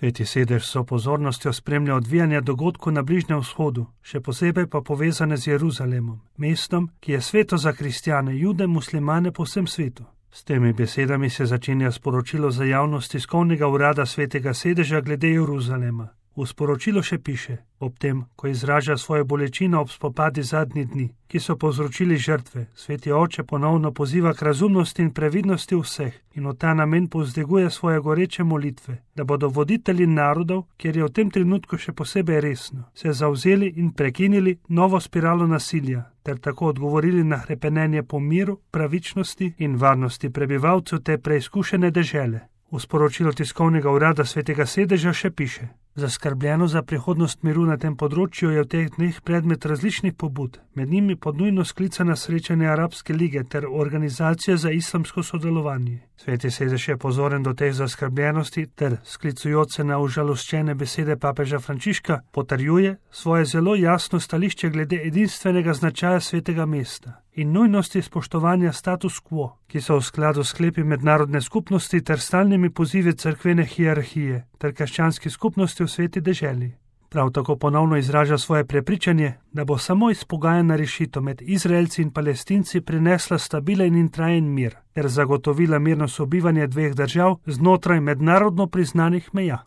Sveti sedež so pozornostjo spremlja odvijanja dogodkov na Bližnjem vzhodu, še posebej pa povezane z Jeruzalemom, mestom, ki je sveto za kristjane, jude, muslimane po vsem svetu. S temi besedami se začenja sporočilo za javnost tiskovnega urada Svetega sedeža glede Jeruzalema. V sporočilu še piše: ob tem, ko izraža svojo bolečino ob spopadi zadnjih dni, ki so povzročili žrtve, Sveti oče ponovno poziva k razumnosti in previdnosti vseh in v ta namen povzdiguje svoje goreče molitve, da bodo voditelji narodov, kjer je v tem trenutku še posebej resno, se zavzeli in prekinili novo spiralo nasilja, ter tako odgovorili na hrepenenje po miru, pravičnosti in varnosti prebivalcev te preizkušene dežele. V sporočilu tiskovnega urada Svetega sedeža še piše: zaskrbljeno za prihodnost miru na tem področju je v teh dneh predmet različnih pobud, med njimi pod nujno sklicana srečanja Arabske lige ter Organizacije za islamsko sodelovanje. Sveti sedež je pozoren do teh zaskrbljenosti ter, sklicujoč se na užaloščene besede papeža Frančiška, potrjuje svoje zelo jasno stališče glede edinstvenega značaja svetega mesta in nujnosti spoštovanja status quo, ki so v skladu s sklepi mednarodne skupnosti ter stalnimi pozivi cerkvene hierarhije ter krščanski skupnosti v sveti deželi. Prav tako ponovno izraža svoje prepričanje, da bo samo izpogajana rešitev med Izraelci in Palestinci prinesla stabilen in trajen mir ter zagotovila mirno sobivanje dveh držav znotraj mednarodno priznanih meja.